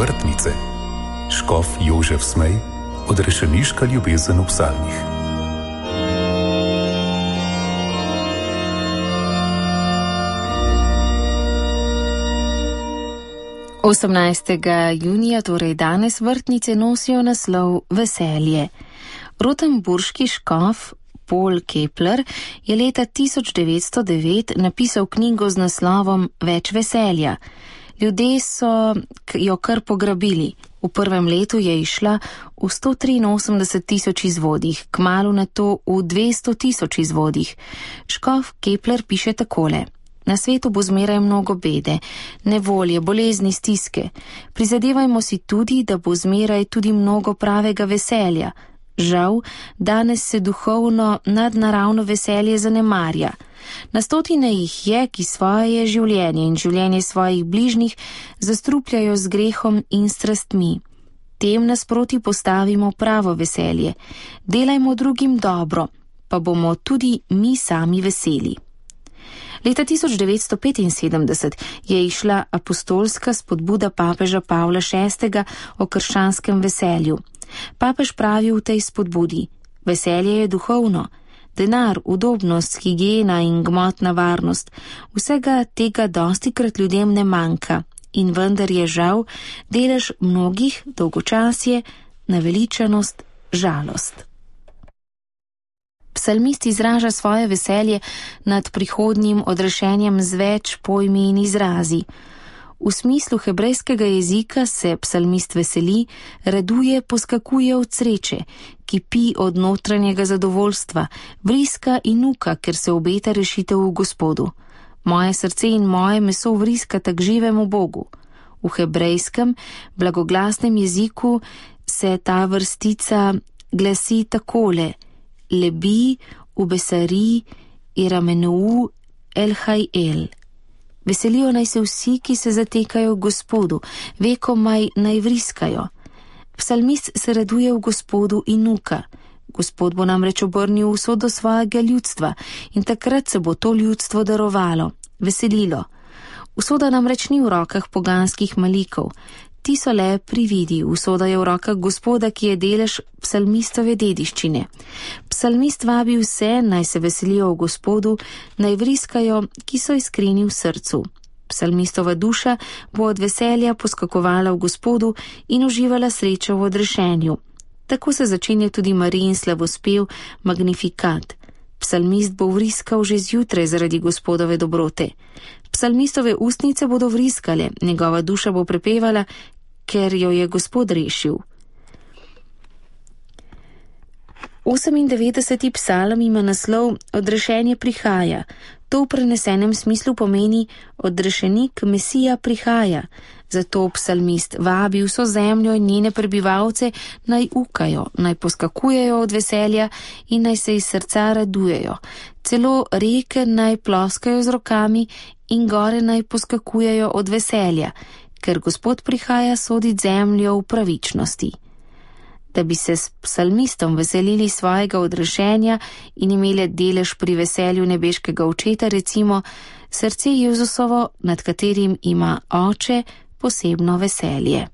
vrtnice. Škof Jožef Smej, odrešeniška ljubezen v psalmih. Junija, torej danes, vrtnice nosijo naslov Veselje. Rotenburški škof Paul Kepler je leta 1909 napisal knjigo z naslovom Več veselja. Ljudje so jo kar pograbili. V prvem letu je išla v 183.000 izvodih, kmalu na to v 200.000 izvodih. Škof Kepler piše takole: Na svetu bo zmeraj mnogo bede, nevolje, bolezni, stiske. Prizadevajmo si tudi, da bo zmeraj tudi mnogo pravega veselja. Žal, danes se duhovno nadnaravno veselje zanemarja. Na stotine jih je, ki svoje življenje in življenje svojih bližnjih zastrupljajo z grehom in strastmi. Tem nasproti postavimo pravo veselje. Delajmo drugim dobro, pa bomo tudi mi sami veseli. Leta 1975 je išla apostolska spodbuda papeža Pavla VI. O krščanskem veselju. Papež pravi v tej spodbudi: veselje je duhovno. Denar, udobnost, higiena in gmotna varnost, vsega tega dostikrat ljudem ne manjka in vendar je žal delež mnogih dolgočasje, naveličanost, žalost. Psalmist izraža svoje veselje nad prihodnjim odrešenjem z več pojmi in izrazi. V smislu hebrejskega jezika se psalmist veseli, raduje, poskakuje od sreče, kipi od notranjega zadovoljstva, vriska in nuka, ker se obeta rešitev v Gospodu. Moje srce in moje meso vriskata k živemu Bogu. V hebrejskem blagoglasnem jeziku se ta vrstica glasi takole: Lebi, ubesari, iramenou, elhajel. Veselijo naj se vsi, ki se zatekajo v Gospodu, vekomaj naj vriskajo. Psalmist se raduje v Gospodu in nuka. Gospod bo namreč obrnil usodo svojega ljudstva in takrat se bo to ljudstvo darovalo, veselilo. Usoda namreč ni v rokah poganskih malikov. Ti so le prividi, usoda je v rokah Gospoda, ki je delež psalmistove dediščine. Psalmist vabi vse, naj se veselijo v Gospodu, naj vriskajo, ki so iskreni v srcu. Psalmistova duša bo od veselja poskakovala v Gospodu in uživala srečo v odrešenju. Tako se začenja tudi Marijin slavospev Magnifikat. Psalmist bo vriskal že zjutraj zaradi Gospodove dobrote. Psalmistove ustnice bodo vriskale, njegova duša bo prepevala, ker jo je Gospod rešil. 98. psalm ima naslov Odrešenje prihaja. To v prenesenem smislu pomeni odrešenik Mesija prihaja. Zato psalmist vabi vso zemljo in njene prebivalce naj ukajo, naj poskakujejo od veselja in naj se iz srca radujejo. Celo reke naj ploskajo z rokami in gore naj poskakujejo od veselja, ker Gospod prihaja sodit zemljo v pravičnosti. Da bi se s psalmistom veselili svojega odrešenja in imeli delež pri veselju nebeškega očeta, recimo srce Jezusovo, nad katerim ima Oče posebno veselje.